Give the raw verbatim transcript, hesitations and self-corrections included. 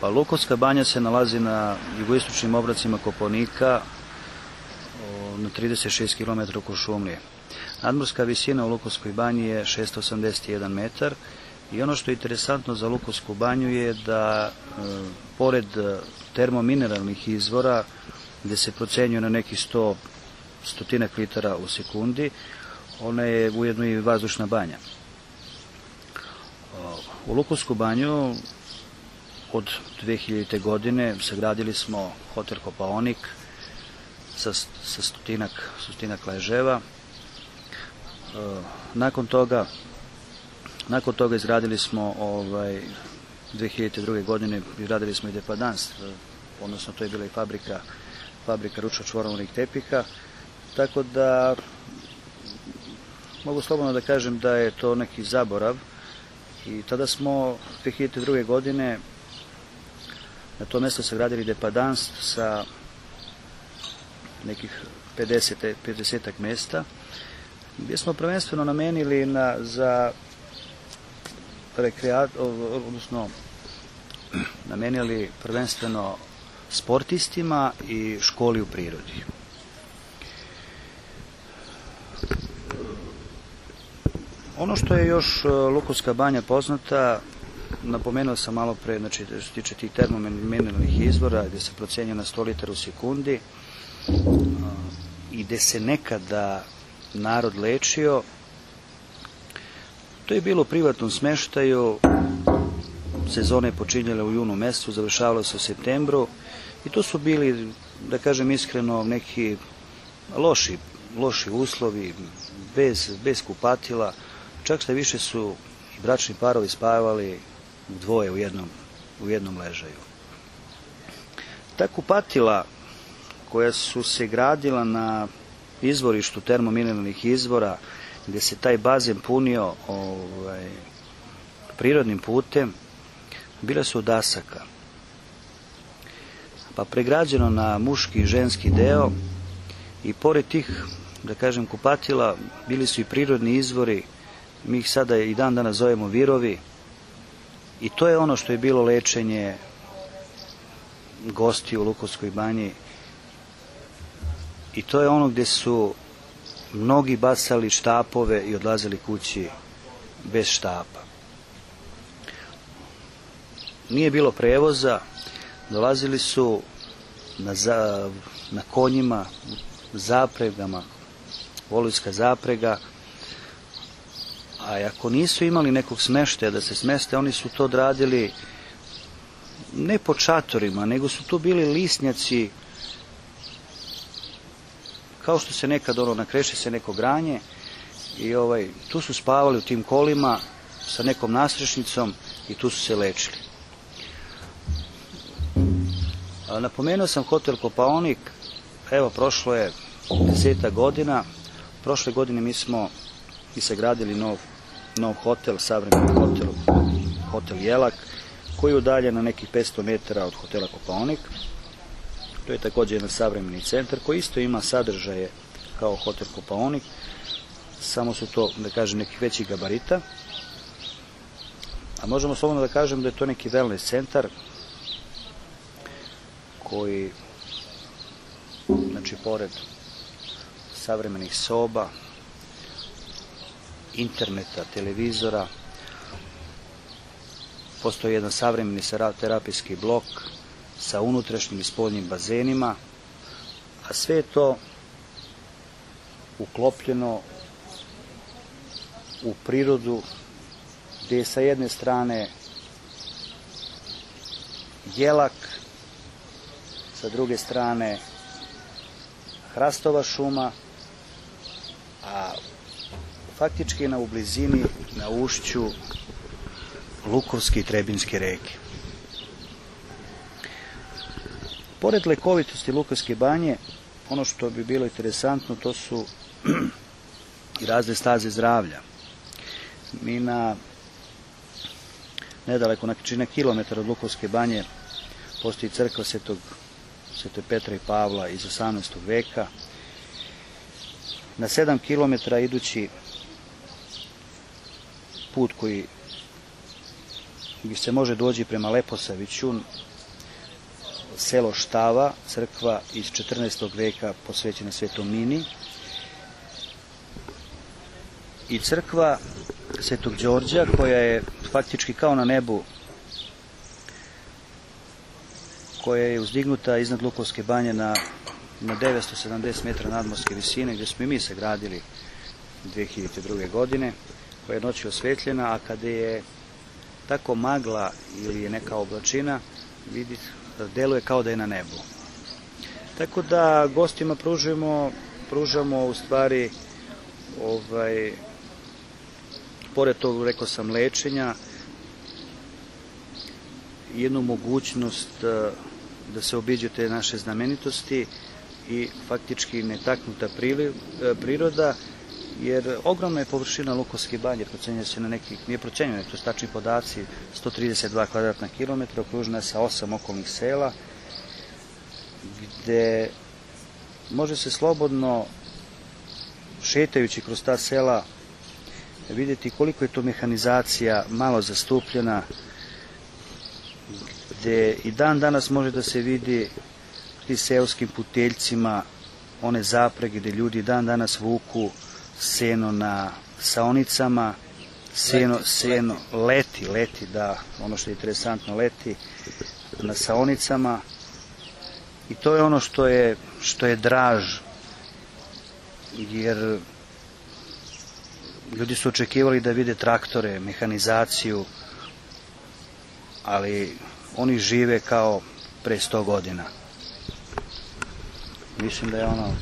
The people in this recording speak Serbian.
Pa Lukovska banja se nalazi na jugoistočnim obracima Kopaonika na trideset šest kilometara oko Šumlije. Nadmorska visina u Lukovskoj banji je šesto osamdeset jedan metar i ono što je interesantno za Lukovsku banju je da e, pored termomineralnih izvora gde se procenjuje na nekih sto stotinak litara u sekundi, ona je ujedno i vazdušna banja. U Lukovsku banju od dve hiljadite. godine sagradili smo hotel Kopaonik sa, sa stotinak, stotinak leževa. Nakon toga, nakon toga izgradili smo ovaj, dve hiljadite druge. godine izgradili smo i depadans, odnosno to je bila i fabrika, fabrika ručno čvorovodnih tepiha, tako da mogu slobodno da kažem da je to neki zaborav. I tada smo dve hiljadite druge. godine na to mesto sagradili depadans sa nekih pedesetak mesta, gdje smo prvenstveno namenili na, za rekreat, odnosno namenili prvenstveno sportistima i školi u prirodi. Ono što je još Lukovska banja poznata, napomenuo sam malo pre, znači što se tiče tih termomineralnih izvora, gde se procenjuje na sto litara u sekundi i gde se nekada narod lečio, to je bilo u privatnom smeštaju, sezone je počinjala u junu mesecu, završavalo se u septembru i to su bili, da kažem iskreno, neki loši, loši uslovi, bez, bez kupatila, čak što više su i bračni parovi spavali dvoje u jednom, u jednom ležaju. Ta kupatila koja su se gradila na izvorištu termomineralnih izvora, gde se taj bazen punio ovaj, prirodnim putem, bile su od dasaka. Pa pregrađeno na muški i ženski deo i pored tih, da kažem, kupatila bili su i prirodni izvori, mi ih sada i dan danas zovemo virovi, i to je ono što je bilo lečenje gosti u Lukovskoj banji i to je ono gde su mnogi bacali štapove i odlazili kući bez štapa. Nije bilo prevoza, dolazili su na, za, na konjima, zapregama, volujska zaprega, a ako nisu imali nekog smeštaja da se smeste, oni su to odradili ne po čatorima, nego su to bili lisnjaci, kao što se nekad ono, nakreše se neko granje i ovaj, tu su spavali u tim kolima sa nekom nasrešnicom i tu su se lečili. A, napomenuo sam hotel Kopaonik, evo prošlo je desetak godina, prošle godine mi smo i sagradili nov, nov hotel, savremeni hotel, hotel Jelak, koji je udaljen na nekih petsto metara od hotela Kopaonik. To je također jedan savremeni centar koji isto ima sadržaje kao hotel Kopaonik, samo su to, da kažem, nekih većih gabarita. A možemo slobodno da kažem da je to neki wellness centar koji, znači, pored savremenih soba, interneta, televizora, postoji jedan savremeni terapijski blok sa unutrašnjim i spoljnim bazenima, a sve je to uklopljeno u prirodu, gde je sa jedne strane Jelak, sa druge strane hrastova šuma, a faktički na u blizini, na ušću Lukovske i Trebinjske reke. Pored lekovitosti Lukovske banje, ono što bi bilo interesantno, to su i razne staze zdravlja. Mi na nedaleko, znači na kilometar od Lukovske banje, postoji crkva Svetog, Svetog Petra i Pavla iz osamnaestog veka. Na sedam kilometara idući put koji bi se može doći prema Leposaviću, selo Štava, crkva iz četrnaestog veka posvećena Svetom Mini, i crkva Svetog Đorđa, koja je faktički kao na nebu, koja je uzdignuta iznad Lukovske banje na, na devetsto sedamdeset metara nadmorske visine, gdje smo i mi se gradili dve hiljade druge. godine, koja je noći osvetljena, a kada je tako magla ili je neka oblačina, vidi, deluje kao da je na nebu. Tako da gostima pružimo, pružamo u stvari, ovaj, pored tog, rekao sam, lečenja, jednu mogućnost da se obiđu te naše znamenitosti i faktički netaknuta priroda, jer ogromna je površina Lukovske banje, procenjuje se na nekih, nije procenjeno, to su tačni podaci, sto trideset dva kvadratna kilometra, okružena je sa osam okolnih sela, gde može se slobodno, šetajući kroz ta sela, vidjeti koliko je to mehanizacija malo zastupljena, gde i dan danas može da se vidi ti seoskim puteljcima one zaprege gde ljudi dan danas vuku seno na saonicama, seno, seno, leti, leti, da, ono što je interesantno, leti na saonicama, i to je ono što je, što je draž, jer ljudi su očekivali da vide traktore, mehanizaciju, ali oni žive kao pre sto godina. Mislim da je ono